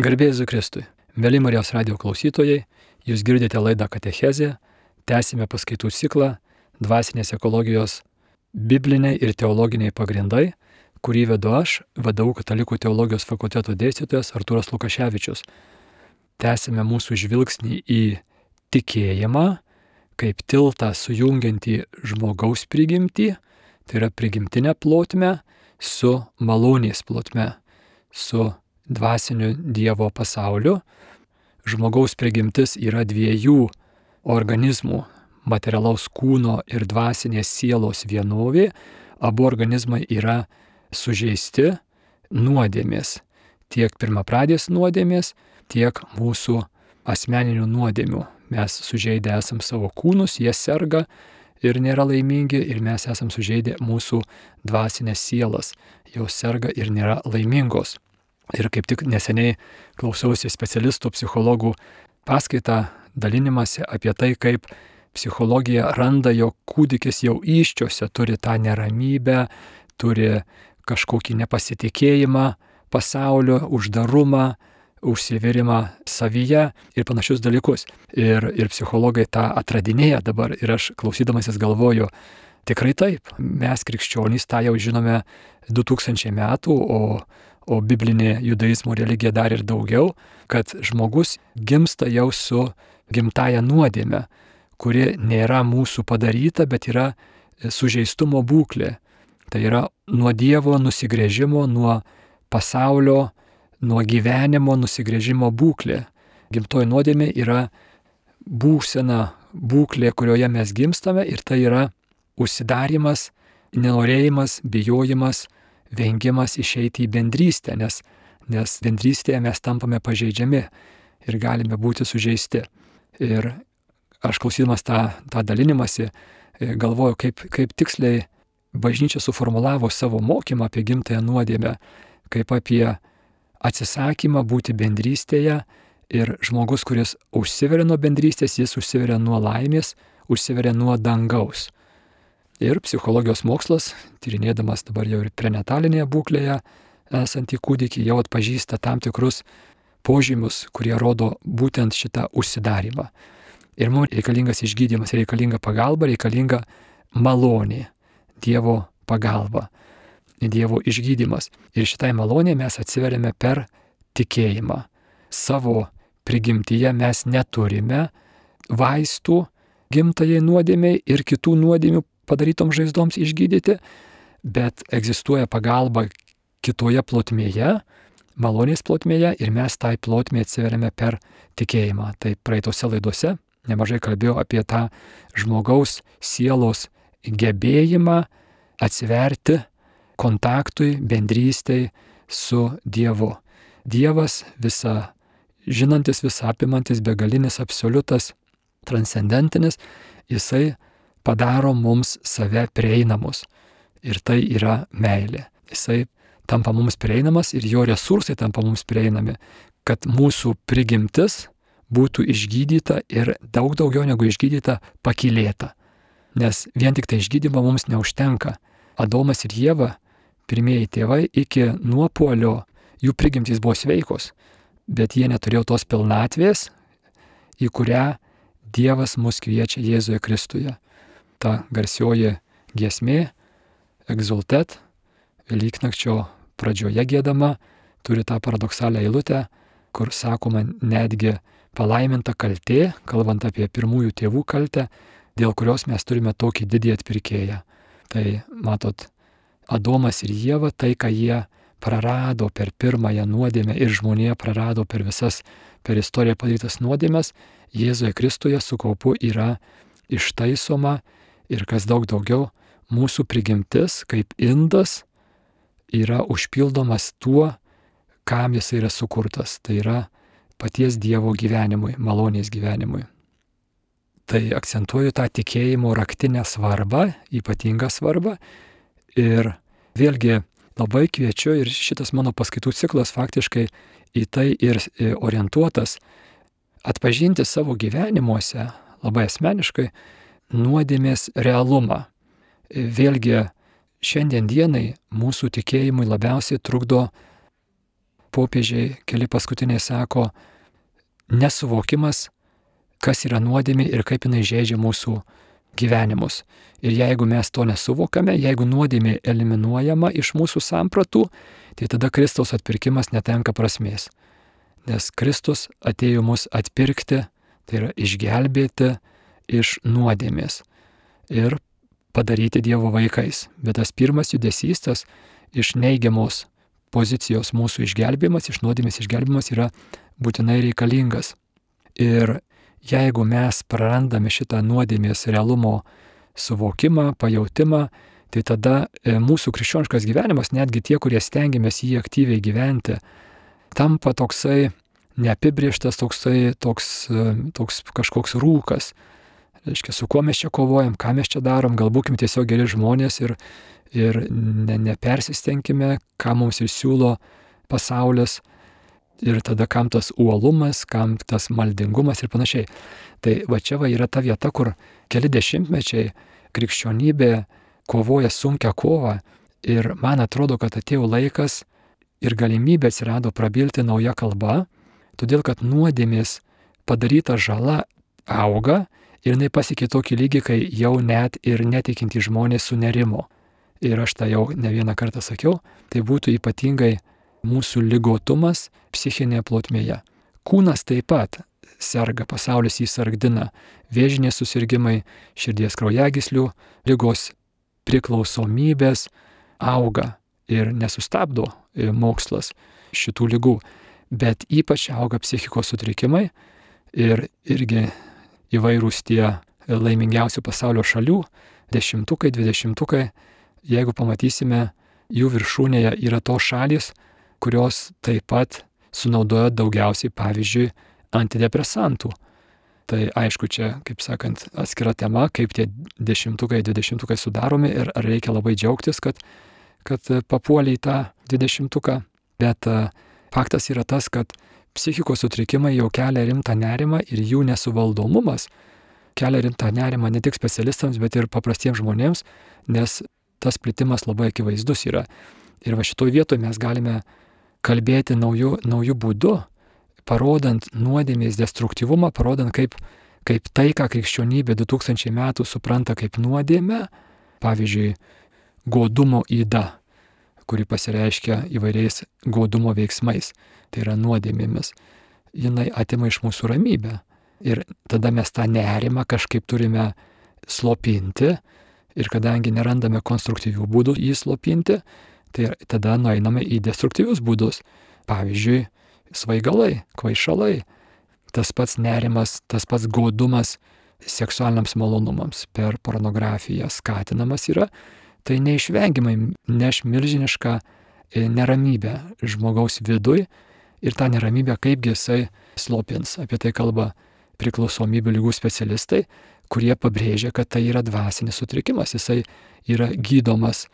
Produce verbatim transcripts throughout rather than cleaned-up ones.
Garbė Jėzui Kristui. Mėly Marijos radijo klausytojai, jūs girdite laidą Katechezė, tęsime paskaitų ciklą Dvasinės ekologijos bibliniai ir teologiniai pagrindai, kurį vedu aš, V D U Katalikų teologijos fakulteto dėstytojas Artūras Lukaševičius. Tęsime mūsų žvilgsnį į tikėjimą, kaip tiltą sujungiantį žmogaus prigimtį, tai yra prigimtinę plotmę, su malonės plotme, su dvasiniu Dievo pasauliu. Žmogaus prigimtis yra dviejų organizmų, materialaus kūno ir dvasinės sielos vienovė. Abu organizmai yra sužeisti nuodėmės, tiek pirmapradės nuodėmės, tiek mūsų asmeninių nuodėmių. Mes sužeidę esam savo kūnus, jie serga ir nėra laimingi, ir mes esam sužeidę mūsų dvasinės sielas, jos serga ir nėra laimingos. Ir kaip tik neseniai klausiausi specialistų, psichologų paskaitą dalinimąsi apie tai, kaip psichologija randa, jog kūdikis jau įsčiose turi tą neramybę, turi kažkokį nepasitikėjimą pasaulio, uždarumą, užsiverimą savyje ir panašius dalykus. Ir, ir psichologai tą atradinėja dabar ir aš klausydamasis galvoju, tikrai taip, mes krikščionys tą jau žinome du tūkstančiai metų, o O biblinė judaizmo religija dar ir daugiau, kad žmogus gimsta jau su gimtaja nuodėme, kuri nėra mūsų padaryta, bet yra sužeistumo būklė. Tai yra nuo Dievo nusigręžimo, nuo pasaulio, nuo gyvenimo nusigręžimo būklė. Gimtoji nuodėmė yra būsena, būklė, kurioje mes gimstame, ir tai yra užsidarimas, nenorėjimas, bijojimas, vengimas išeiti į bendrystę, nes, nes bendrystėje mes tampame pažeidžiami ir galime būti sužeisti. Ir aš klausydamas tą, tą dalinimąsi galvoju, kaip, kaip tiksliai bažnyčia suformulavo savo mokymą apie gimtąją nuodėmę, kaip apie atsisakymą būti bendrystėje, ir žmogus, kuris užsiveria nuo bendrystės, jis užsiveria nuo laimės, užsiveria nuo dangaus. Ir psichologijos mokslas, tyrinėdamas dabar jau ir prenatalinėje būklėje esantį kūdikį, jau atpažįsta tam tikrus požymius, kurie rodo būtent šitą užsidarimą. Ir mums reikalingas išgydymas, reikalinga pagalba, reikalinga malonė, Dievo pagalba, Dievo išgydymas. Ir šitai malonė mes atsiveriame per tikėjimą. Savo prigimtyje mes neturime vaistų gimtajai nuodėmei ir kitų nuodėmių padarytoms žaizdoms išgydyti, bet egzistuoja pagalba kitoje plotmėje, malonės plotmėje, ir mes tai plotmė atsiveriame per tikėjimą. Tai praeitose laidose nemažai kalbėjau apie tą žmogaus sielos gebėjimą atsiverti kontaktui, bendrystei su Dievu. Dievas visa žinantis, visa apimantis, begalinis, absoliutas, transcendentinis, jisai padaro mums save prieinamus. Ir tai yra meilė. Jisai tampa mums prieinamas ir jo resursai tampa mums prieinami, kad mūsų prigimtis būtų išgydyta ir daug daugiau negu išgydyta, pakylėta. Nes vien tik tai išgydymo mums neužtenka. Adomas ir Ieva, pirmieji tėvai, iki nuopuolio jų prigimtys buvo sveikos, bet jie neturėjo tos pilnatvės, į kurią Dievas mus kviečia Jėzuje Kristuje. Ta garsioji giesmė, Exultet, Velyknakčio pradžioje giedama, turi tą paradoksalią eilutę, kur sakoma netgi palaiminta kaltė, kalbant apie pirmųjų tėvų kaltę, dėl kurios mes turime tokį didį atpirkėją. Tai matot, Adomas ir Ieva, tai, ką jie prarado per pirmąją nuodėmę ir žmonija prarado per visas per istoriją padarytas nuodėmes, Jėzuje Kristuje su kaupu yra ištaisoma. Ir kas daug daugiau, mūsų prigimtis kaip indas yra užpildomas tuo, kam jis yra sukurtas. Tai yra paties Dievo gyvenimui, malonės gyvenimui. Tai akcentuoju tą tikėjimo raktinę svarbą, ypatingą svarbą. Ir vėlgi labai kviečiu, ir šitas mano paskaitų ciklas faktiškai į tai ir orientuotas, atpažinti savo gyvenimuose, labai asmeniškai, nuodėmės realumą. Vėlgi, šiandien dienai mūsų tikėjimui labiausiai trukdo popiežiai keli paskutiniai sako, nesuvokimas, kas yra nuodėmė ir kaip jinai žeidžia mūsų gyvenimus. Ir jeigu mes to nesuvokame, jeigu nuodėmė eliminuojama iš mūsų sampratų, tai tada Kristaus atpirkimas netenka prasmės. Nes Kristus atėjo mus atpirkti, tai yra išgelbėti iš nuodėmės ir padaryti Dievo vaikais. Bet tas pirmas judesys, tas iš neigiamos pozicijos mūsų išgelbėjimas, iš nuodėmės išgelbėjimas yra būtinai reikalingas. Ir jeigu mes prarandame šitą nuodėmės realumo suvokimą, pajautimą, tai tada mūsų krikščioniškas gyvenimas, netgi tie, kurie stengiamės jį aktyviai gyventi, tampa toksai neapibrieštas, toksai toks, toks kažkoks rūkas. Reiškia, su kuo mes čia kovojam, ką mes čia darom, gal būkim tiesiog geri žmonės ir, ir ne, nepersistengime, ką mums ir siūlo pasaulis. Ir tada kam tas uolumas, kam tas maldingumas ir panašiai. Tai va čia va yra ta vieta, kur keli dešimtmečiai krikščionybė kovoja sunkią kovą ir man atrodo, kad atėjo laikas ir galimybė atsirado prabilti nauja kalba, todėl kad nuodėmės padaryta žala auga ir jinai pasiekė tokį lygį, kai jau net ir netikintys žmonės sunerimo. Ir aš tą jau ne vieną kartą sakiau, tai būtų ypatingai mūsų ligotumas psichinėje plotmėje. Kūnas taip pat serga, pasaulis jį sargdina, vėžiniai susirgimai, širdies kraujagyslių ligos, priklausomybės auga ir nesustabdo mokslas šitų ligų, bet ypač auga psichikos sutrikimai ir irgi įvairūs tie laimingiausių pasaulio šalių, dešimtukai, dvidešimtukai, jeigu pamatysime, jų viršūnėje yra tos šalys, kurios taip pat sunaudoja daugiausiai, pavyzdžiui, antidepresantų. Tai aišku, čia, kaip sakant, atskira tema, kaip tie dešimtukai, dvidešimtukai sudaromi ir ar reikia labai džiaugtis, kad, kad papuolė į tą dvidešimtuką. Bet faktas yra tas, kad psichikos sutrikimai jau kelia rimtą nerimą ir jų nesuvaldomumas kelia rimtą nerimą ne tik specialistams, bet ir paprastiems žmonėms, nes tas plitimas labai akivaizdus yra. Ir va šitoj vietoje mes galime kalbėti naujų, naujų būdų, parodant nuodėmės destruktyvumą, parodant kaip, kaip tai, ką krikščionybė du tūkstančiai metų supranta kaip nuodėmę, pavyzdžiui, godumo yda, kuri pasireiškia įvairiais godumo veiksmais, tai yra nuodėmėmis, jinai atima iš mūsų ramybę. Ir tada mes tą nerimą kažkaip turime slopinti ir kadangi nerandame konstruktyvių būdų jį slopinti, tai tada nueiname į destruktyvius būdus. Pavyzdžiui, svaigalai, kvaišalai, tas pats nerimas, tas pats godumas seksualiniams malonumams per pornografiją skatinamas yra, tai neišvengiamai neš milžinišką neramybę žmogaus viduj ir tą neramybę kaipgi jisai slopins. Apie tai kalba priklausomybių ligų specialistai, kurie pabrėžia, kad tai yra dvasinis sutrikimas, jisai yra gydomas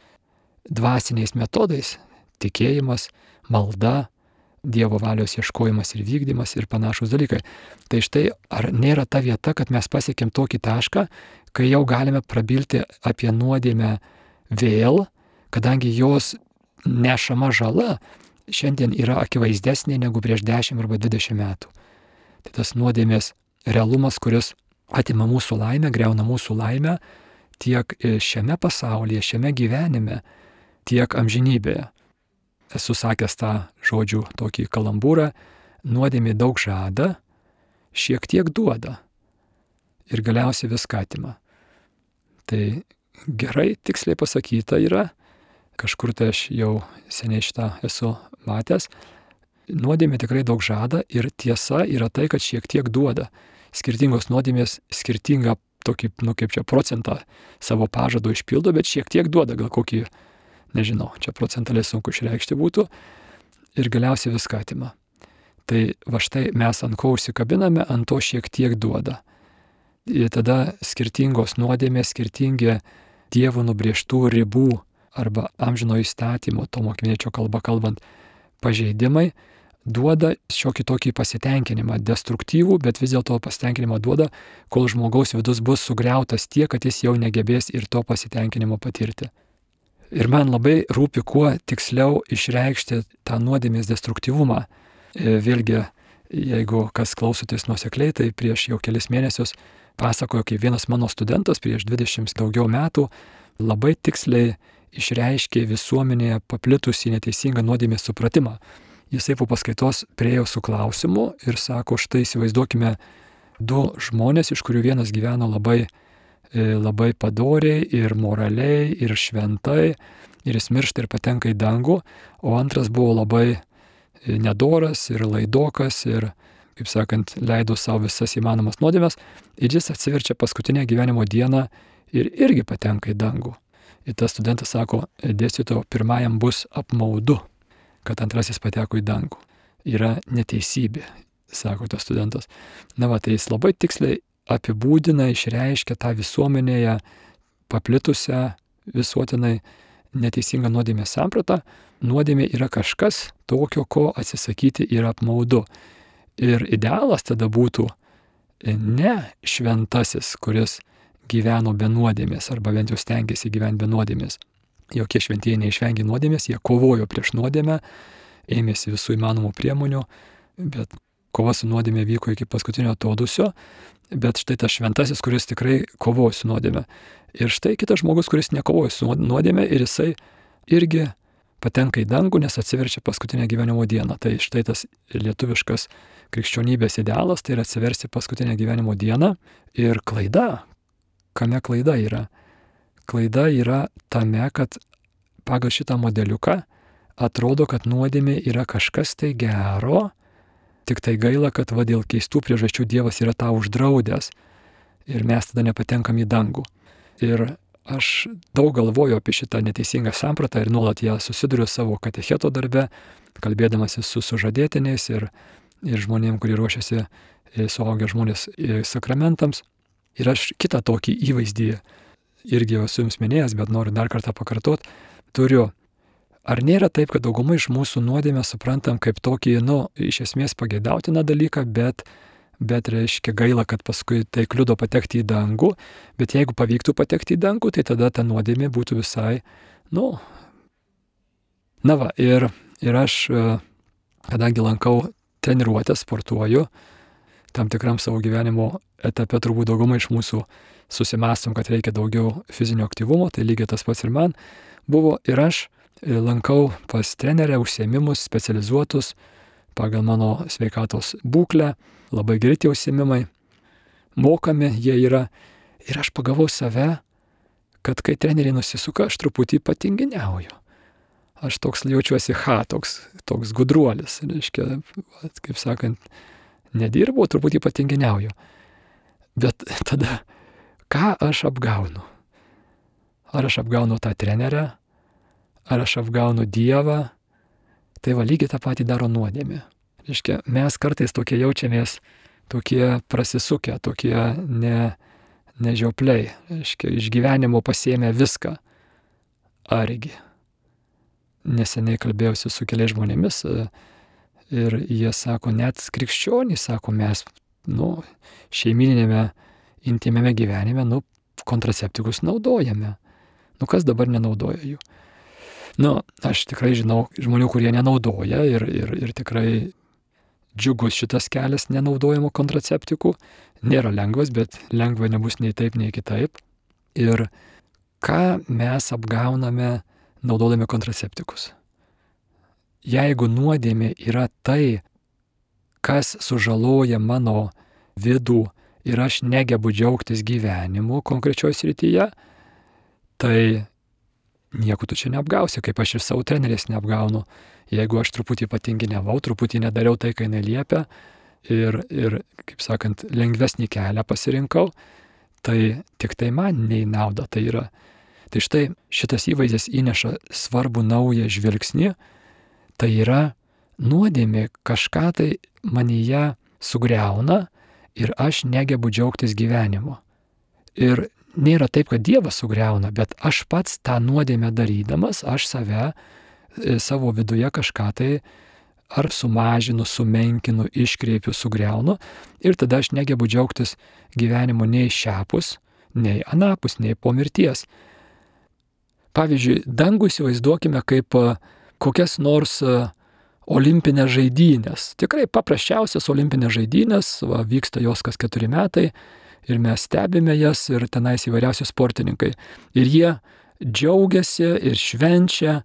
dvasiniais metodais, tikėjimas, malda, Dievo valios ieškojimas ir vykdymas ir panašus dalykai. Tai štai, ar nėra ta vieta, kad mes pasiekėm tokį tašką, kai jau galime prabilti apie nuodėmę vėl, kadangi jos nešama žala šiandien yra akivaizdesnė negu prieš dešimt arba dvidešimt metų. Tai tas nuodėmės realumas, kuris atima mūsų laimę, greuna mūsų laimę tiek šiame pasaulyje, šiame gyvenime, tiek amžinybėje. Esu sakęs tą žodžių tokį kalambūrą, nuodėmė daug žada, šiek tiek duoda ir galiausiai viską atima. Tai gerai, tiksliai pasakyta yra, kažkur tai aš jau seniai šitą esu matęs, nuodėmė tikrai daug žada ir tiesa yra tai, kad šiek tiek duoda. Skirtingos nuodėmės skirtingą tokį, nu kaip čia, procentą savo pažado išpildo, bet šiek tiek duoda, gal kokį, nežinau, čia procentaliai sunku išreikšti būtų ir galiausiai viską atima. Tai va štai mes ant ko užsikabiname, ant to šiek tiek duoda. Ir tada skirtingos nuodėmės, skirtingi Dievo nubrėžtų ribų arba amžino įstatymo, to mokiniečio kalba kalbant, pažeidimai duoda šiokį tokį pasitenkinimą, destruktyvų, bet vis dėlto pasitenkinimą duoda, kol žmogaus vidus bus sugriautas tiek, kad jis jau negebės ir to pasitenkinimo patirti. Ir man labai rūpi kuo tiksliau išreikšti tą nuodėmės destruktyvumą. Vėlgi, jeigu kas klausotės nuosekliai, tai prieš jau kelis mėnesius pasakojo, kaip vienas mano studentas prieš dvidešimt daugiau metų labai tiksliai išreiškė visuomenėje paplitusį neteisingą nuodėmės supratimą. Jisai po paskaitos priėjo su klausimu ir sako, štai įsivaizduokime du žmonės, iš kurių vienas gyveno labai, labai padoriai ir moraliai ir šventai ir jis miršta ir patenka į dangų, o antras buvo labai nedoras ir laidokas ir, kaip sakant, leido savo visas įmanomas nuodėmes ir jis atsiverčia paskutinę gyvenimo dieną ir irgi patenka į dangų. Ir tas studentas sako, dėstytojo, pirmajam bus apmaudu, kad antrasis pateko į dangų. Yra neteisybė, sako tas studentas. Na va, tai jis labai tiksliai apibūdina, išreiškia tą visuomenėje paplitusią visuotinai neteisingą nuodėmės sampratą. Nuodėmė yra kažkas tokio, ko atsisakyti yra apmaudu. Ir idealas tada būtų ne šventasis, kuris gyveno be nuodėmės, arba bent jau stengiasi gyventi be nuodėmės. Jokie šventieji neišvengė nuodėmės, jie kovojo prieš nuodėmę, ėmėsi visų įmanomų priemonių, bet kova su nuodėmė vyko iki paskutinio atodūsio, bet štai tas šventasis, kuris tikrai kovojo su nuodėmė. Ir štai kitas žmogus, kuris nekovojo su nuodėmė ir jisai irgi patenka į dangų, nes atsiverčia paskutinę gyvenimo dieną. Tai štai tas lietuviškas krikščionybės idealas, tai yra atsiversti paskutinę gyvenimo dieną ir klaida. Kame klaida yra? Klaida yra tame, kad pagal šitą modeliuką atrodo, kad nuodėmė yra kažkas tai gero, tik tai gaila, kad va dėl keistų priežasčių Dievas yra tą uždraudęs ir mes tada nepatenkam į dangų. Ir aš daug galvoju apie šitą neteisingą sampratą ir nuolat ją susiduriu savo katecheto darbe, kalbėdamasis su sužadėtiniais ir, ir žmonėm, kurie ruošiasi suaugę žmonės sakramentams. Ir aš kitą tokį įvaizdį irgi jau esu jums minėjęs, bet noriu dar kartą pakartot, turiu. Ar nėra taip, kad daugumai iš mūsų nuodėmę suprantam kaip tokį, nu, iš esmės pageidautiną dalyką, bet, bet reiškia gaila, kad paskui tai kliudo patekti į dangų, bet jeigu pavyktų patekti į dangų, tai tada ta nuodėmė būtų visai, nu, na va, ir, ir aš, kadangi lankau treniruotę, sportuoju, tam tikram savo gyvenimo etape turbūt daugumai iš mūsų susimąstom, kad reikia daugiau fizinio aktyvumo, tai lygiai tas pats ir man buvo. Ir aš lankau pas trenerę užsiėmimus specializuotus pagal mano sveikatos būklę, labai geri tie užsiėmimai, mokami jie yra. Ir aš pagavau save, kad kai treneriai nusisuka, aš truputį patinginiauju. Aš toks jaučiuosi, ha, toks, toks gudruolis, reiškia, kaip sakant, nedirbau, truputį patinginiauju. Bet tada, ką aš apgaunu? Ar aš apgaunu tą trenerę? Ar aš apgaunu Dievą? Tai va, lygiai tą patį daro nuodėmė. Reiškia, mes kartais tokie jaučiamės, tokie prasisukę, tokie ne, nežiopliai. Reiškia, iš gyvenimo pasiėmė viską. Argi. Neseniai kalbėjausi su keliais žmonėmis, ir jie sako, net krikščionys, sako, mes, nu, šeimininėme, intymiame gyvenime, nu, kontraceptikus naudojame. Nu, kas dabar nenaudoja jų? Nu, aš tikrai žinau žmonių, kurie nenaudoja ir, ir, ir tikrai džiugus šitas kelias nenaudojimo kontraceptikų. Nėra lengvas, bet lengva nebus nei taip, nei kitaip. Ir ką mes apgauname naudodami kontraceptikus? Jeigu nuodėmė yra tai, kas sužaloja mano vidų ir aš negebu džiaugtis gyvenimu konkrečioje srityje, tai nieko tu čia neapgausi, kaip aš ir savo trenerės neapgaunu. Jeigu aš truputį patinginiavau, truputį nedariau tai, kai neliepia ir, ir, kaip sakant, lengvesnį kelią pasirinkau, tai tik tai man nei nauda tai yra. Tai štai šitas įvaizdis įneša svarbų naują žvilgsnį. Tai yra nuodėmė kažką tai manyje sugriauna ir aš negebu džiaugtis gyvenimu. Ir nėra taip, kad Dievas sugriauna, bet aš pats tą nuodėmę darydamas, aš save, savo viduje kažką tai ar sumažinu, sumenkinu, iškreipiu, sugriaunu ir tada aš negebu džiaugtis gyvenimu nei šiapus, nei anapus, nei po mirties. pavyzdžiui, dangų įsivaizduokime kaip kokias nors olimpinės žaidynės. Tikrai paprasčiausias olimpinės žaidynės, va, vyksta jos kas keturi metai ir mes stebime jas ir tenais įvairiausi sportininkai. Ir jie džiaugiasi ir švenčia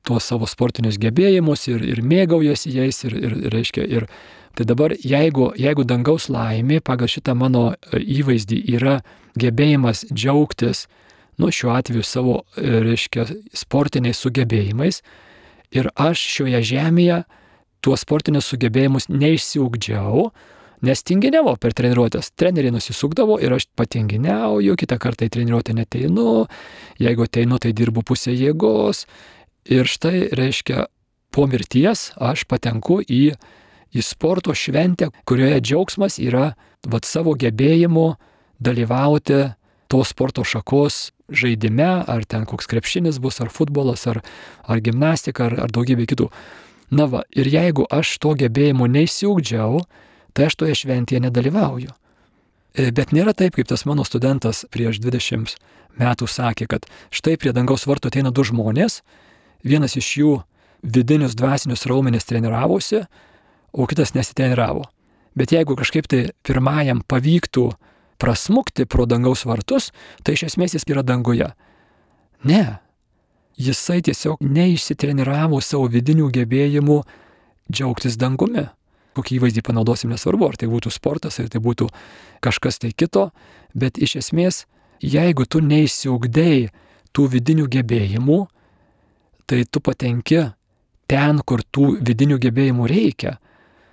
tuos savo sportinius gebėjimus ir, ir mėgaujasi jais ir, ir, reiškia, ir tai dabar jeigu, jeigu dangaus laimė pagal šitą mano įvaizdį yra gebėjimas džiaugtis, nu šiuo atveju savo, reiškia, sportiniais sugebėjimais, ir aš šioje žemėje tuos sportinius sugebėjimus neišsiugdžiau, nes tinginiavo per treniruotės. Treneriai nusisukdavo ir aš patinginiauju, kitą kartą į treniruotę neteinu, jeigu ateinu, tai dirbu pusę jėgos. Ir štai, reiškia, po mirties aš patenku į, į sporto šventę, kurioje džiaugsmas yra vat, savo gebėjimu dalyvauti tos sporto šakos žaidime, ar ten koks krepšinis bus, ar futbolas, ar, ar gimnastika, ar, ar daugybė kitų. Na va, ir jeigu aš to gebėjimo neįsiugdžiau, tai aš toje šventėje nedalyvauju. Bet nėra taip, kaip tas mano studentas prieš dvidešimt metų sakė, kad štai prie dangaus vartų ateina du žmonės, vienas iš jų vidinius dvasinius raumenis treniravosi, o kitas nesitreniravo. Bet jeigu kažkaip tai pirmajam pavyktų prasmukti pro dangaus vartus, tai iš esmės jis yra danguje. Ne. Jisai tiesiog neišsitreniravo savo vidinių gebėjimų džiaugtis dangumi. Kokį įvaizdį panaudosim, nesvarbu, ar tai būtų sportas, ar tai būtų kažkas tai kito, bet iš esmės, jeigu tu neišsiugdei tų vidinių gebėjimų, tai tu patenki ten, kur tų vidinių gebėjimų reikia.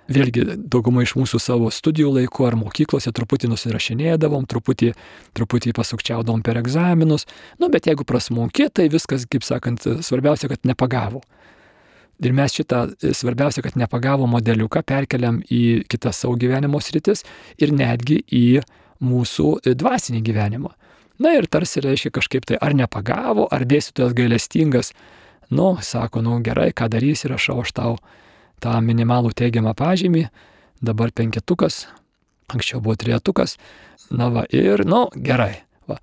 Vėlgi, dauguma iš mūsų savo studijų laiku ar mokyklose truputį nusirašinėdavom, truputį, truputį pasukčiaudavom per egzaminus, nu, bet jeigu prasmunki, tai viskas, kaip sakant, svarbiausia, kad nepagavo. Ir mes šitą svarbiausia, kad nepagavo modeliuką perkeliam į kitas savo gyvenimo sritis ir netgi į mūsų dvasinį gyvenimą. Na ir tarsi reiškia kažkaip tai ar nepagavo, ar dėstytojas gailestingas, nu, sako, nu gerai, ką darysi, rašau aš tau tą minimalų teigiamą pažymį, dabar penketukas, anksčiau buvo trejetukas, na va, ir, nu, gerai, va,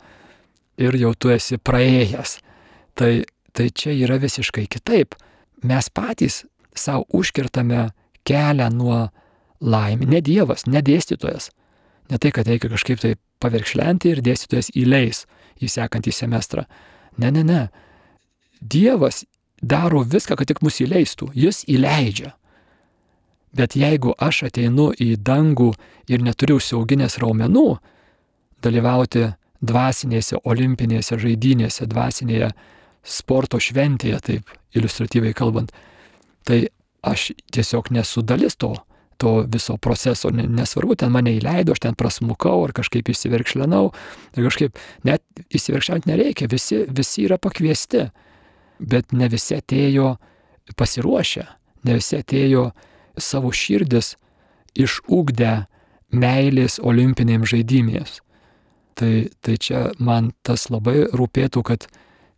ir jau tu esi praėjęs. Tai, tai čia yra visiškai kitaip. Mes patys savo užkirtame kelią nuo laimės, ne Dievas, ne dėstytojas. Ne tai, kad reikia kažkaip tai paverkšlenti ir dėstytojas įleis į sekantį semestrą. Ne, ne, ne. Dievas daro viską, kad tik mus įleistų. Jis įleidžia. Bet jeigu aš ateinu į dangų ir neturiu užsiauginęs raumenų, dalyvauti dvasinėse olimpinėse žaidynėse, dvasinėje sporto šventėje, taip iliustratyviai kalbant, tai aš tiesiog nesu dalis to, to viso proceso. Nesvarbu, ten mane įleido, aš ten prasmukau ar kažkaip įsiverkšlenau, ir kažkaip net įsiverkšlent nereikia, visi, visi yra pakviesti, bet ne visi atėjo pasiruošę, ne visi atėjo savo širdis išugdę meilės olimpinėms žaidynėms. Tai, tai čia man tas labai rūpėtų, kad,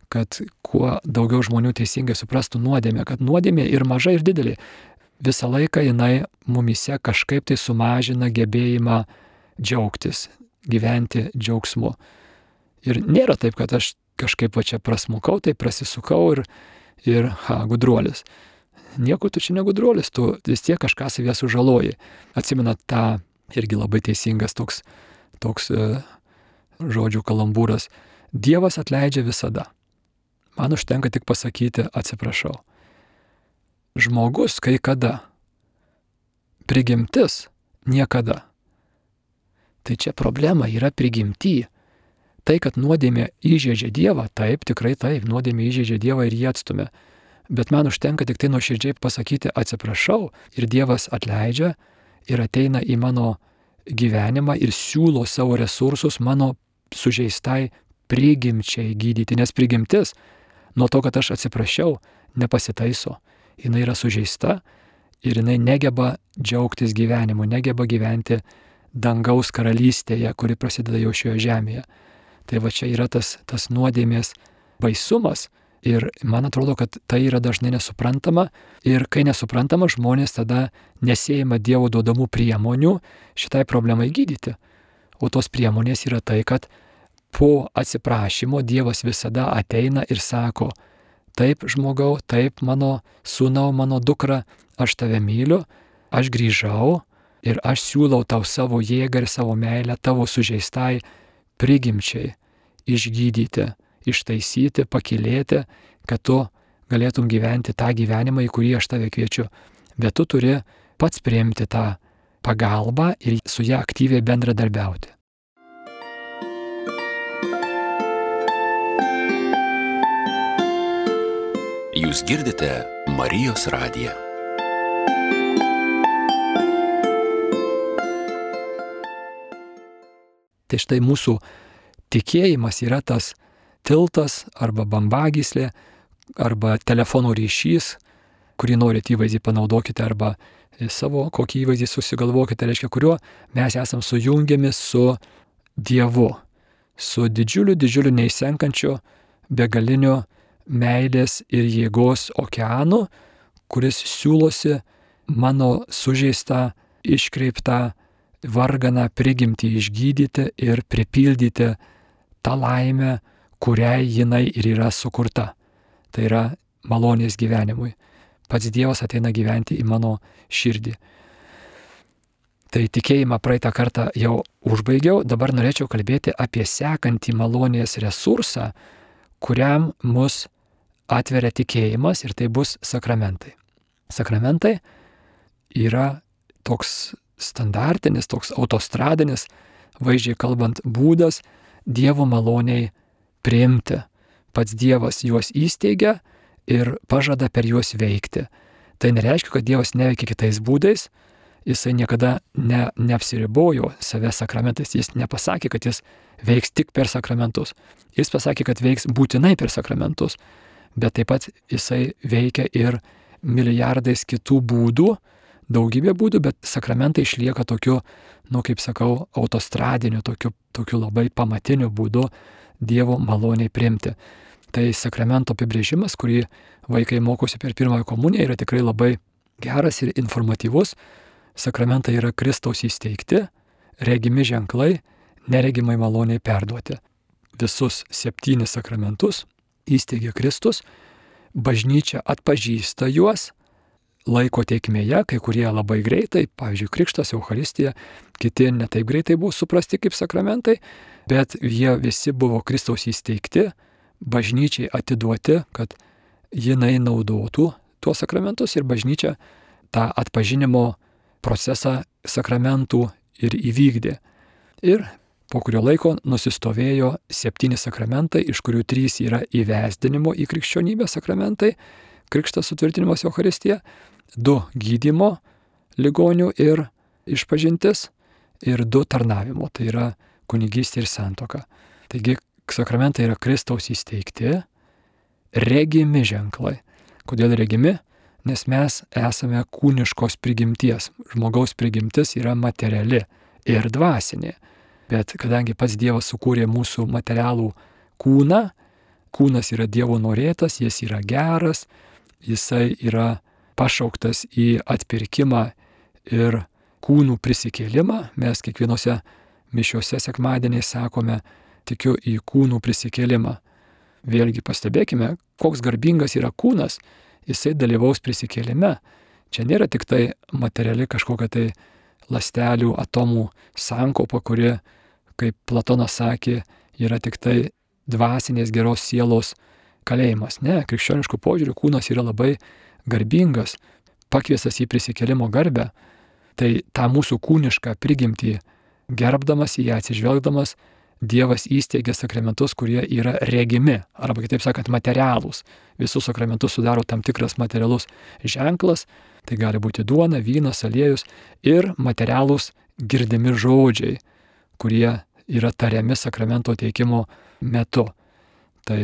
kad kuo daugiau žmonių teisingai suprastų nuodėmę, kad nuodėmė ir maža, ir didelė. Visą laiką jinai mumise kažkaip tai sumažina gebėjimą džiaugtis, gyventi džiaugsmu. Ir nėra taip, kad aš kažkaip va čia prasmukau, tai prasisukau ir, ir ha, gudruolis. Nieko tu čia negudruolis, tu vis tiek kažką savyje sužaloji. Atsimenat tą irgi labai teisingas toks, toks e, žodžių kalambūras. Dievas atleidžia visada. Man užtenka tik pasakyti atsiprašau. Žmogus kai kada. Prigimtis niekada. Tai čia problema yra prigimty. Tai, kad nuodėmė įžeidžia Dievą, taip, tikrai taip, nuodėmė įžeidžia Dievą ir jį atstumia. Bet man užtenka tik tai nuoširdžiai pasakyti atsiprašau ir Dievas atleidžia ir ateina į mano gyvenimą ir siūlo savo resursus mano sužeistai prigimčiai gydyti. Nes prigimtis nuo to, kad aš atsiprašiau, nepasitaiso. Jinai yra sužeista ir jinai negeba džiaugtis gyvenimu, negeba gyventi dangaus karalystėje, kuri prasideda jau šioje žemėje. Tai va čia yra tas, tas nuodėmės baisumas. Ir man atrodo, kad tai yra dažnai nesuprantama ir kai nesuprantama, žmonės tada nesėjama Dievo duodamų priemonių šitai problemai gydyti. O tos priemonės yra tai, kad po atsiprašymo Dievas visada ateina ir sako, taip žmogau, taip mano sūnau, mano dukra, aš tave myliu, aš grįžau ir aš siūlau tau savo jėgą ir savo meilę tavo sužeistai prigimčiai išgydyti, ištaisyti, pakylėti, kad tu galėtum gyventi tą gyvenimą, į kurį aš tave kviečiu. Bet tu turi pats priimti tą pagalbą ir su ją aktyviai bendradarbiauti. Jūs girdite Marijos radiją. Tai štai mūsų tikėjimas yra tas tiltas arba bambagyslė arba telefono ryšys, kurį norit įvaizdį panaudokite arba savo kokį įvaizdį susigalvokite, reiškia, kuriuo mes esam sujungiami su Dievu, su didžiuliu, didžiuliu neišsenkančiu, begaliniu meilės ir jėgos okeanu, kuris siūlosi mano sužeistą, iškreiptą varganą prigimtį išgydyti ir pripildyti tą laimę, kuriai jinai ir yra sukurta. Tai yra malonės gyvenimui. Pats Dievas ateina gyventi į mano širdį. Tai tikėjimą praeitą kartą jau užbaigiau, dabar norėčiau kalbėti apie sekantį malonės resursą, kuriam mus atveria tikėjimas, ir tai bus sakramentai. Sakramentai yra toks standartinis, toks autostradinis, vaizdžiai kalbant, būdas Dievo maloniai priimti. Pats Dievas juos įsteigia ir pažada per juos veikti. Tai nereiškia, kad Dievas neveikia kitais būdais, jisai niekada ne, neapsiribojo save sakramentais, jis nepasakė, kad jis veiks tik per sakramentus. Jis pasakė, kad veiks būtinai per sakramentus, bet taip pat jisai veikia ir milijardais kitų būdų, daugybė būdų, bet sakramentai išlieka tokiu, nu kaip sakau, autostradiniu, tokiu, tokiu labai pamatiniu būdu Dievo maloniai priimti. Tai sakramento apibrėžimas, kurį vaikai mokosi per pirmąją komuniją, yra tikrai labai geras ir informatyvus. Sakramentai yra Kristaus įsteigti, regimi ženklai, neregimai maloniai perduoti. Visus septynis sakramentus įsteigė Kristus, bažnyčia atpažįsta juos laiko teikmėje, kai kurie labai greitai, pavyzdžiui, Krikštas, Eucharistija, kiti ne taip greitai buvo suprasti kaip sakramentai, bet jie visi buvo Kristaus įsteigti, bažnyčiai atiduoti, kad jinai naudotų tuos sakramentus ir bažnyčia tą atpažinimo procesą sakramentų ir įvykdė. Ir po kurio laiko nusistovėjo septyni sakramentai, iš kurių trys yra įvesdinimo į krikščionybę sakramentai, Krikštas, sutvirtinimas, Eucharistija, du gydymo ligonių ir išpažintis ir du tarnavimo, tai yra kunigystė ir santuoka. Taigi sakramentai yra Kristaus įsteigti, regimi ženklai. Kodėl regimi? Nes mes esame kūniškos prigimties. Žmogaus prigimtis yra materiali ir dvasinė. Bet kadangi pats Dievas sukūrė mūsų materialų kūną, kūnas yra Dievo norėtas, jis yra geras, jisai yra pašauktas į atpirkimą ir kūnų prisikėlimą. Mes kiekvienose mišiose sekmadieniais sakome, tikiu į kūnų prisikėlimą. Vėlgi pastebėkime, koks garbingas yra kūnas, jisai dalyvaus prisikėlime. Čia nėra tik tai materiali kažkokia tai ląstelių, atomų sankaupa, kuri, kaip Platonas sakė, yra tik tai dvasinės geros sielos kalėjimas. Ne, krikščioniškų požiūrių kūnas yra labai garbingas, pakviestas į prisikėlimo garbę. Tai tą mūsų kūnišką prigimtį gerbdamas, į ją atsižvelgdamas, Dievas įsteigia sakramentus, kurie yra regimi, arba kitaip sakant, materialūs. Visus sakramentus sudaro tam tikras materialus ženklas, tai gali būti duona, vynas, aliejus ir materialūs girdimi žodžiai, kurie yra tariami sakramento teikimo metu. Tai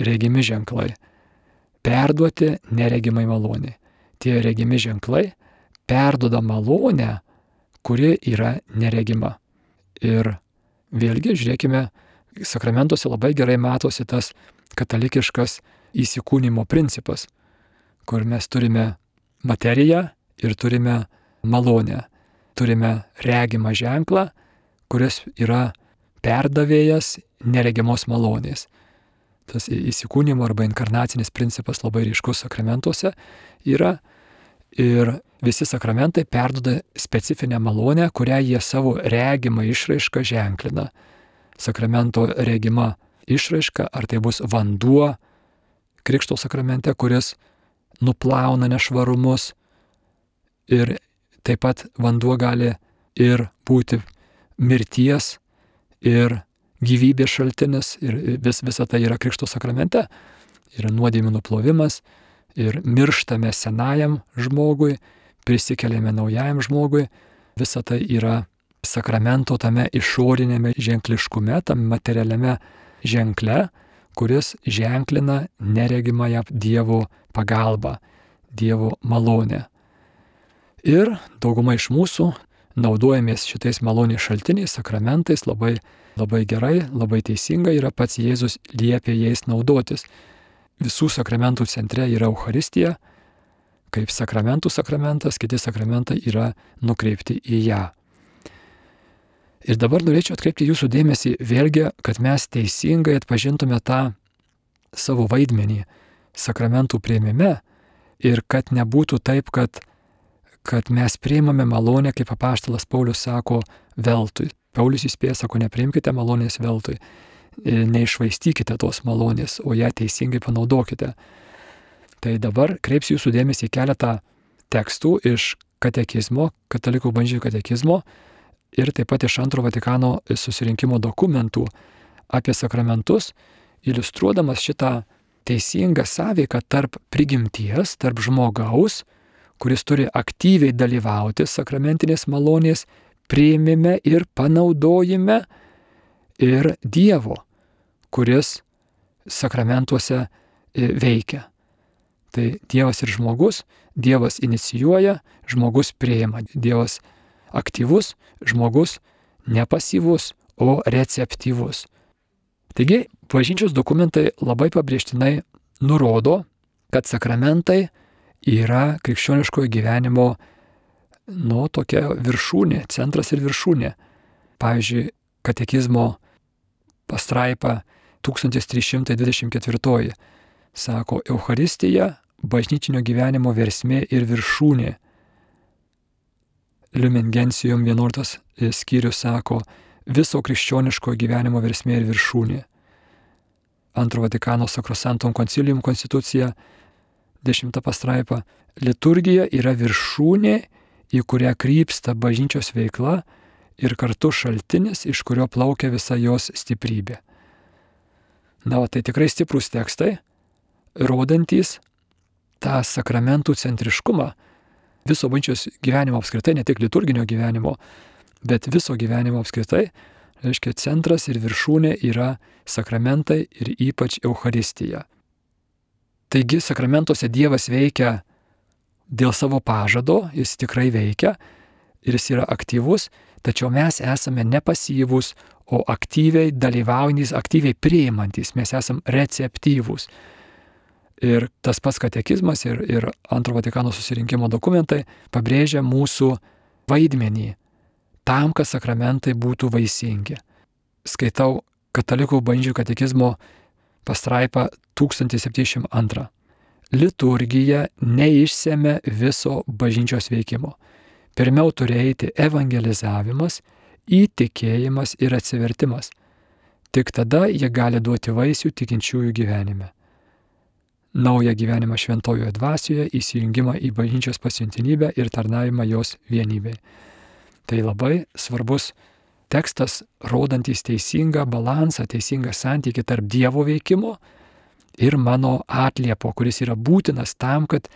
regimi ženklai. Perduoti neregimai malonė. Tie regimi ženklai perduoda malonę, kuri yra neregima. Ir vėlgi, žiūrėkime, sakramentuose labai gerai matosi tas katalikiškas įsikūnimo principas, kur mes turime materiją ir turime malonę. Turime regimą ženklą, kuris yra perdavėjas neregimos malonės. Tas įsikūnijimo arba inkarnacinis principas labai ryškus sakramentuose yra ir visi sakramentai perduoda specifinę malonę, kurią jie savo regimą išraišką ženklina. Sakramento regima išraiška, ar tai bus vanduo krikšto sakramente, kuris nuplauna nešvarumus, ir taip pat vanduo gali ir būti mirties ir gyvybės šaltinis, ir vis, visa tai yra krikšto sakramente, yra nuodėmių nuplovimas, ir mirštame senajam žmogui, prisikeliame naujajam žmogui, visa tai yra sakramento tame išorinėme ženkliškume, tam materialiame ženkle, kuris ženklina neregimąją Dievo pagalbą, Dievo malonę. Ir dauguma iš mūsų naudojamės šitais malonės šaltiniais, sakramentais, labai, labai gerai, labai teisingai, yra pats Jėzus liepė jais naudotis. Visų sakramentų centre yra Eucharistija, kaip sakramentų sakramentas, kiti sakramentai yra nukreipti į ją. Ir dabar norėčiau atkreipti jūsų dėmesį vėlgi, kad mes teisingai atpažintume tą savo vaidmenį sakramentų priėmime ir kad nebūtų taip, kad, kad mes priimame malonę, kaip apaštalas Paulius sako, veltui. Paulius įspėja, sako, nepriimkite malonės veltui, neišvaistykite tos malonės, o ją teisingai panaudokite. Tai dabar kreipsiu jūsų dėmesį į keletą tekstų iš katekizmo, katalikų bažnyčios katekizmo, ir taip pat iš Antro Vatikano susirinkimo dokumentų apie sakramentus, iliustruodamas šitą teisingą sąveiką tarp prigimties, tarp žmogaus, kuris turi aktyviai dalyvauti sakramentinės malonės priėmime ir panaudojime, ir Dievo, kuris sakramentuose veikia. Tai Dievas ir žmogus, Dievas inicijuoja, žmogus priima. Dievas aktyvus, žmogus nepasyvus, o receptyvus. Taigi, bažnyčios dokumentai labai pabrėžtinai nurodo, kad sakramentai yra krikščioniškojo gyvenimo, nu, tokia viršūnė, centras ir viršūnė. Pavyzdžiui, katekizmo pastraipa tūkstantis trys šimtai dvidešimt ketvirtoji sako, Eucharistija bažnyčinio gyvenimo versmė ir viršūnė. Lumen Gentium vienuoliktas skyrius sako, viso krikščioniško gyvenimo versmė ir viršūnė. Antro Vatikano Sacrosanctum Concilium konstitucija, dešimta pastraipa, liturgija yra viršūnė, į kurią krypsta bažnyčios veikla ir kartu šaltinis, iš kurio plaukia visa jos stiprybė. Na, o tai tikrai stiprūs tekstai, rodantys tą sakramentų centriškumą viso bažnyčios gyvenimo apskritai, ne tik liturginio gyvenimo, bet viso gyvenimo apskritai, reiškia, centras ir viršūnė yra sakramentai ir ypač Eucharistija. Taigi sakramentuose Dievas veikia dėl savo pažado, jis tikrai veikia ir jis yra aktyvus, tačiau mes esame nepasyvūs, o aktyviai dalyvaujantys, aktyviai priimantys, mes esame receptyvūs. Ir tas pats katekizmas ir, ir Antro Vatikano susirinkimo dokumentai pabrėžia mūsų vaidmenį tam, kad sakramentai būtų vaisingi. Skaitau katalikų bažnyčių katekizmo pastraipą tūkstantis septyniasdešimt antrą. Liturgija neišsemia viso bažnyčios veikimo. Pirmiau turi eiti evangelizavimas, įtikėjimas ir atsivertimas. Tik tada jie gali duoti vaisių tikinčiųjų gyvenime. Naują gyvenimą šventojoje dvasioje, įsijungimą į bažnyčios pasiuntinybę ir tarnavimą jos vienybei. Tai labai svarbus tekstas, rodantis teisingą balansą, teisingą santykį tarp Dievo veikimo ir mano atliepo, kuris yra būtinas tam, kad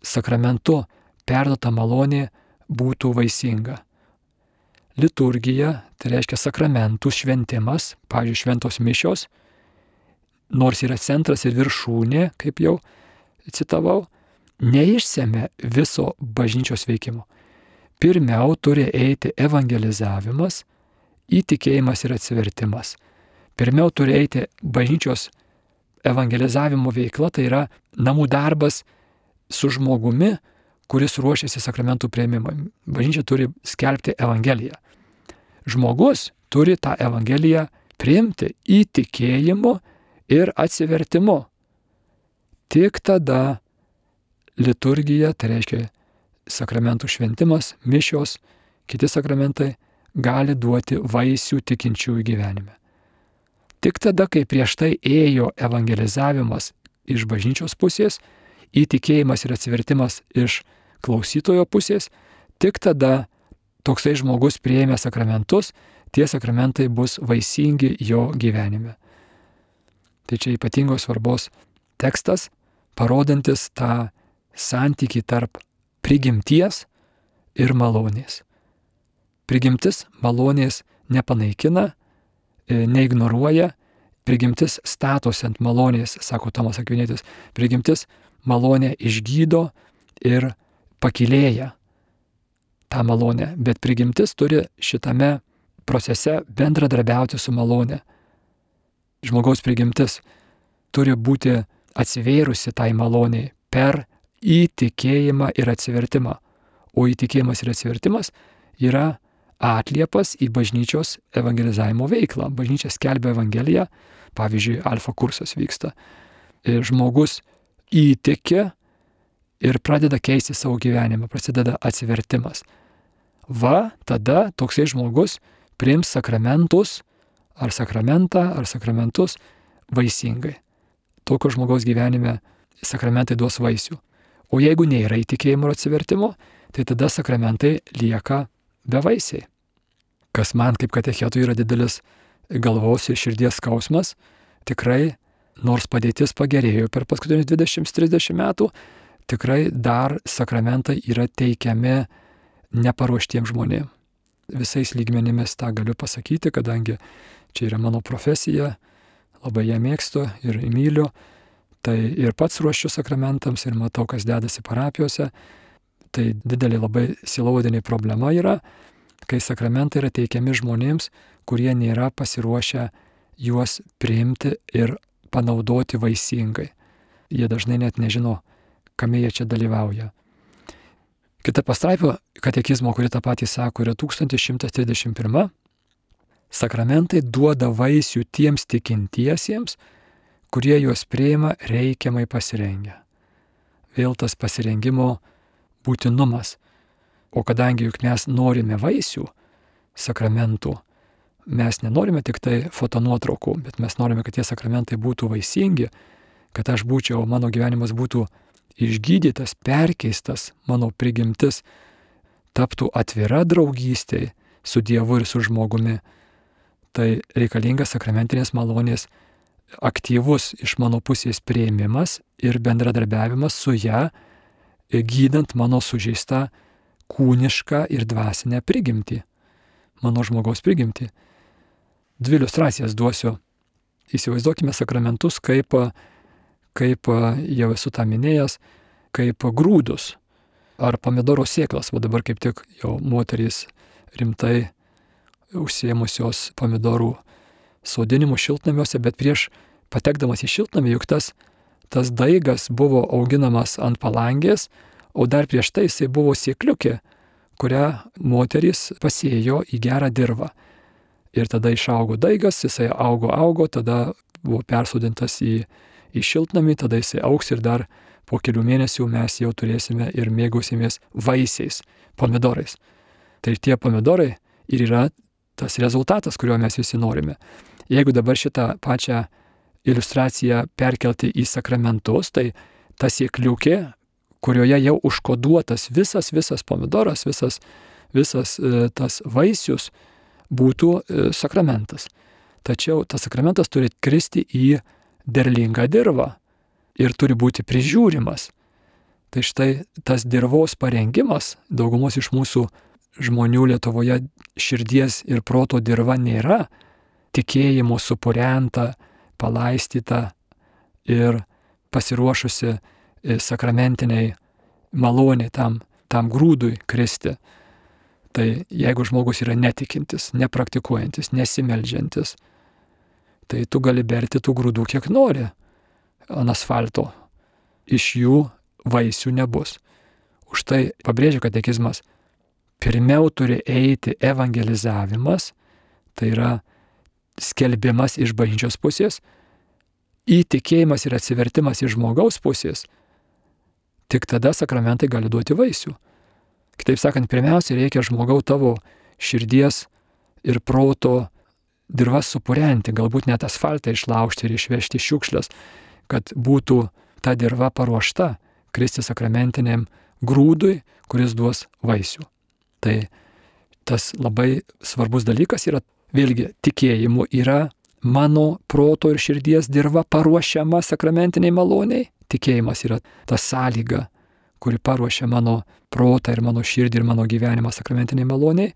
sakramentu perduota malonė būtų vaisinga. Liturgija, tai reiškia sakramentų šventimas, pavyzdžiui, šventos mišios, nors yra centras ir viršūnė, kaip jau citavau, neišsemia viso bažnyčios veikimo. Pirmiau turi eiti evangelizavimas, įtikėjimas ir atsivertimas. Pirmiau turi eiti bažnyčios evangelizavimo veikla, tai yra namų darbas su žmogumi, kuris ruošiasi sakramentų priėmimui. Bažnyčia turi skelbti evangeliją. Žmogus turi tą Evangeliją priimti įtikėjimu ir atsivertimu. Tik tada liturgija, tai reiškia sakramentų šventimas, mišios, kiti sakramentai, gali duoti vaisių tikinčiųjų gyvenime. Tik tada, kai prieš tai ėjo evangelizavimas iš bažnyčios pusės, įtikėjimas ir atsivertimas iš klausytojo pusės, tik tada toksai žmogus priėmė sakramentus, tie sakramentai bus vaisingi jo gyvenime. Tai čia ypatingos svarbos tekstas, parodantis tą santykį tarp prigimties ir malonės. Prigimtis malonės nepanaikina, neignoruoja, prigimtis statosi ant malonės, sako Tomas Akvinietis, prigimtis malonę išgydo ir pakilėja tą malonę, bet prigimtis turi šitame procese bendradarbiauti su malonė. Žmogaus prigimtis turi būti atsivėrusi tai maloniai per įtikėjimą ir atsivertimą, o įtikėjimas ir atsivertimas yra atliepas į bažnyčios evangelizavimo veiklą. Bažnyčia skelbia Evangeliją, pavyzdžiui, alfa kursas vyksta. Žmogus įtikė ir pradeda keisti savo gyvenimą, prasideda atsivertimas. Va, tada toksai žmogus priims sakramentus, ar sakramentą, ar sakramentus vaisingai. Tokio žmogaus gyvenime sakramentai duos vaisių. O jeigu nėra įtikėjimo ir atsivertimo, tai tada sakramentai lieka bevaisiai. Kas man kaip katechetui yra didelis galvos ir širdies skausmas, tikrai, nors padėtis pagerėjo per paskutinius dvidešimt trisdešimt metų, tikrai dar sakramentai yra teikiami neparuoštiems žmonėms. Visais lygmenimis tą galiu pasakyti, kadangi čia yra mano profesija, labai ją mėgstu ir myliu, tai ir pats ruošiu sakramentams ir matau, kas dedasi parapijose. Tai didelė labai sielovadinė problema yra, kai sakramentai yra teikiami žmonėms, kurie nėra pasiruošę juos priimti ir panaudoti vaisingai. Jie dažnai net nežino, kame jie čia dalyvauja. Kita pastraipa katekizmo, kuri tą patį sako, yra tūkstantis šimtas trisdešimt pirma. Sakramentai duoda vaisių tiems tikintiesiems, kurie juos priima reikiamai pasirengę. Vėl tas pasirengimo būtinumas. O kadangi juk mes norime vaisių sakramentų, mes nenorime tik tai fotonuotraukų, bet mes norime, kad tie sakramentai būtų vaisingi, kad aš būčiau, mano gyvenimas būtų išgydytas, perkeistas, mano prigimtis taptų atvira draugystė su Dievu ir su žmogumi. Tai reikalingas sakramentinės malonės aktyvus iš mano pusės priėmimas ir bendradarbiavimas su ją, gydant mano sužeistą kūnišką ir dvasinę prigimtį, mano žmogaus prigimtį. Dvi iliustracijas duosiu. Įsivaizduokime sakramentus kaip, kaip jau esu tą minėjęs, kaip grūdus ar pomidoro sėklas. Va dabar kaip tik jau moterys rimtai užsiėmusios pomidorų sodinimu šiltnamiuose, bet prieš patekdamas į šiltnamį, juk tas, tas daigas buvo auginamas ant palangės, o dar prieš tai jisai buvo sėkliukė, kurią moterys pasėjo į gerą dirvą. Ir tada išaugo daigas, jisai augo, augo, tada buvo persodintas į, į šiltnamį, tada jisai augs ir dar po kelių mėnesių mes jau turėsime ir mėgausimės vaisiais, pomidorais. Tai tie pomidorai ir yra tas rezultatas, kurio mes visi norime. Jeigu dabar šitą pačią iliustraciją perkelti į sakramentus, tai ta sėkliukė, kurioje jau užkoduotas visas, visas pomidoras, visas, visas e, tas vaisius būtų e, sakramentas. Tačiau tas sakramentas turi kristi į derlingą dirvą ir turi būti prižiūrimas. Tai štai tas dirvos parengimas, daugumos iš mūsų žmonių Lietuvoje širdies ir proto dirva nėra tikėjimo supurenta, palaistyta ir pasiruošusi sakramentiniai maloniai tam, tam grūdui kristi. Tai jeigu žmogus yra netikintis, nepraktikuojantis, nesimeldžiantis, tai tu gali berti tų grūdų kiek nori ant asfalto. Iš jų vaisių nebus. Už tai pabrėžia katekizmas, pirmiau turi eiti evangelizavimas, tai yra skelbimas iš bažnyčios pusės, įtikėjimas ir atsivertimas iš žmogaus pusės, tik tada sakramentai gali duoti vaisių. Kitaip sakant, pirmiausia, reikia žmogau tavo širdies ir proto dirvas supurenti, galbūt net asfaltą išlaužti ir išvežti šiukšles, kad būtų ta dirva paruošta kristi sakramentiniam grūdui, kuris duos vaisių. Tai tas labai svarbus dalykas yra, vėlgi, tikėjimu yra mano proto ir širdies dirva paruošiama sakramentiniai maloniai. Tikėjimas yra ta sąlyga, kuri paruošia mano protą ir mano širdį ir mano gyvenimą sakramentiniai maloniai.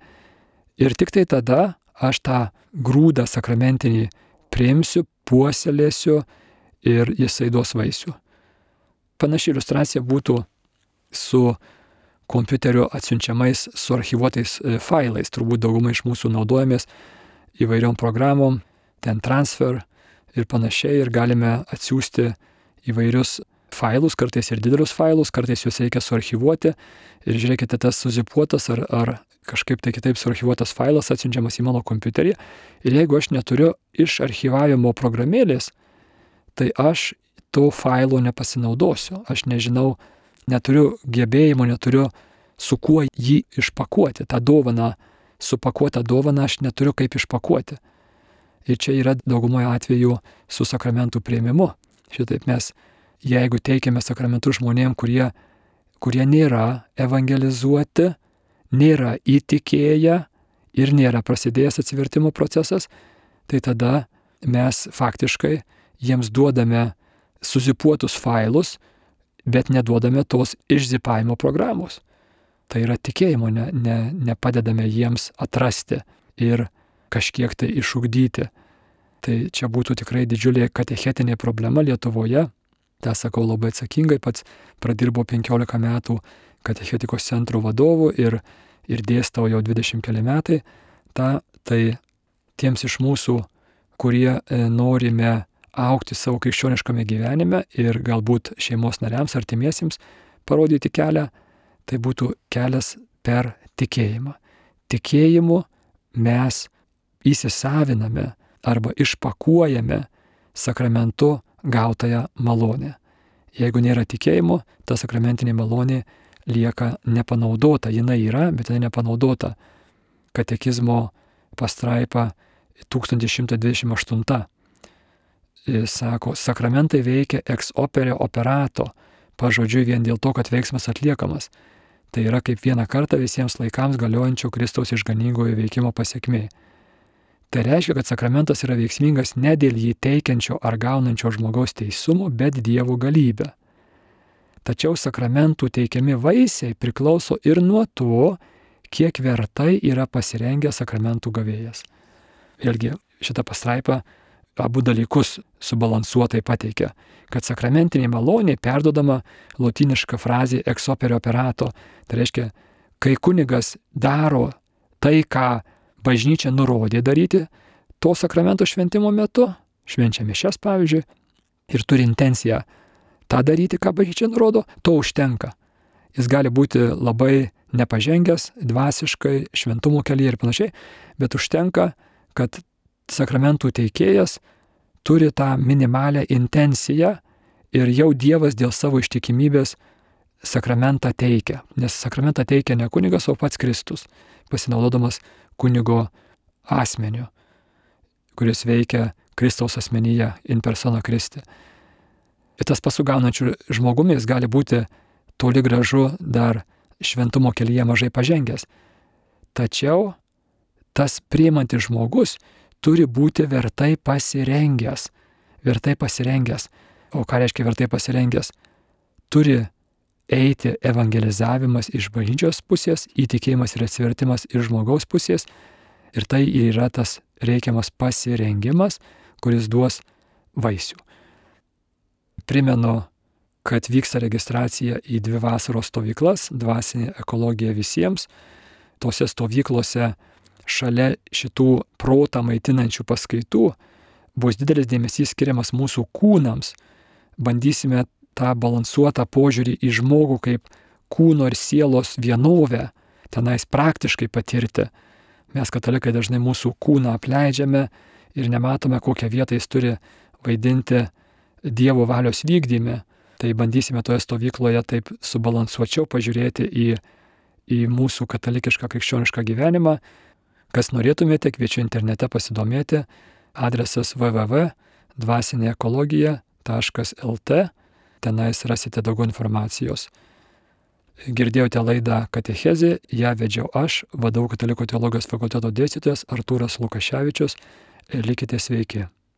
Ir tik tai tada aš tą grūdą sakramentinį priimsiu, puoselėsiu ir jisai duos vaisių. Panaši iliustracija būtų su kompiuteriu atsiunčiamais, suarchyvuotais failais. Turbūt daugumai iš mūsų naudojamės įvairiom programom, ten transfer ir panašiai, ir galime atsiųsti įvairius failus, kartais ir didelius failus, kartais juos reikia suarchyvuoti. Ir žiūrėkite, tas suzipuotas ar, ar kažkaip tai kitaip suarchyvuotas failas atsiunčiamas į mano kompiuterį. Ir jeigu aš neturiu iš archyvavimo programėlės, tai aš to failo nepasinaudosiu. Aš nežinau, neturiu gebėjimo, neturiu su kuo jį išpakuoti. Ta dovana, supakuota dovana, aš neturiu kaip išpakuoti. Ir čia yra daugumoje atveju su sakramentų priėmimu. Šitaip mes, jeigu teikiame sakramentus žmonėm, kurie, kurie nėra evangelizuoti, nėra įtikėję ir nėra prasidėjęs atsivertimo procesas, tai tada mes faktiškai jiems duodame suzipuotus failus, bet neduodame tos išzipavimo programos. Tai yra tikėjimo, ne, ne, nepadedame jiems atrasti ir kažkiek tai išugdyti. Tai čia būtų tikrai didžiulė katechetinė problema Lietuvoje. tą sakau labai atsakingai, pats pradirbau penkiolika metų katechetikos centro vadovu ir, ir dėstau jau dvidešimt keli metai. Ta, tai tiems iš mūsų, kurie norime augti savo krikščioniškame gyvenime ir galbūt šeimos nariams, artimiesiems parodyti kelią, tai būtų kelias per tikėjimą. Tikėjimu mes įsisaviname arba išpakuojame sakramentu gautąją malonę. Jeigu nėra tikėjimo, ta sakramentinė malonė lieka nepanaudota. Jinai yra, bet jinai nepanaudota. Katekizmo pastraipa tūkstantis šimtas dvidešimt aštunta sako, sakramentai veikia ex opere operato, pažodžiui vien dėl to, kad veiksmas atliekamas. Tai yra kaip vieną kartą visiems laikams galiojančio Kristaus išganingojo veikimo pasiekmė. Tai reiškia, kad sakramentas yra veiksmingas ne dėl jį teikiančio ar gaunančio žmogaus teisumo, bet Dievo galybę. Tačiau sakramentų teikiami vaisiai priklauso ir nuo to, kiek vertai yra pasirengęs sakramentų gavėjas. Vėlgi, šitą pastraipą abu dalykus subalansuotai pateikia, kad sakramentinė malonė perdodama lotyniška frazė ex opere operato. Tai reiškia, kai kunigas daro tai, ką bažnyčia nurodė daryti to sakramento šventimo metu, švenčia mišias pavyzdžiui, ir turi intenciją tą daryti, ką bažnyčia nurodo, to užtenka. Jis gali būti labai nepažengęs, dvasiškai, šventumo kelyje ir panašiai, bet užtenka, kad sakramentų teikėjas turi tą minimalę intenciją ir jau Dievas dėl savo ištikimybės sakramentą teikia. Nes sakramentą teikia ne kunigas, o pats Kristus, pasinaudodamas kunigo asmeniu, kuris veikia Kristaus asmenyje, in persona Christi. Ir tas pasugaunančių žmogumis gali būti toli gražu dar šventumo kelyje mažai pažengęs. Tačiau tas priimantis žmogus turi būti vertai pasirengęs. Vertai pasirengęs. O ką reiškia vertai pasirengęs? Turi eiti evangelizavimas iš bažnyčios pusės, įtikėjimas ir atsivertimas iš žmogaus pusės. Ir tai yra tas reikiamas pasirengimas, kuris duos vaisių. Primenu, kad vyksta registracija į dvi vasaros stovyklas, dvasinė ekologija visiems. Tose stovyklose šalia šitų protą maitinančių paskaitų bus didelis dėmesys skiriamas mūsų kūnams. Bandysime tą balansuotą požiūrį į žmogų kaip kūno ir sielos vienovę tenais praktiškai patirti. Mes katalikai dažnai mūsų kūną apleidžiame ir nematome, kokią vietą jis turi vaidinti Dievo valios vykdyme. Tai bandysime toje stovykloje taip subalansuočiau pažiūrėti į, į mūsų katalikišką krikščionišką gyvenimą. Kas norėtumėte, kviečiu internete pasidomėti. Adresas w w w taškas dvasinė ekologija taškas l t. Tenais rasite daugiau informacijos. Girdėjote laidą Katechezė, ją vedžiau aš, V D U Katalikų teologijos fakulteto dėstytojas Artūras Lukaševičius. Likite sveiki.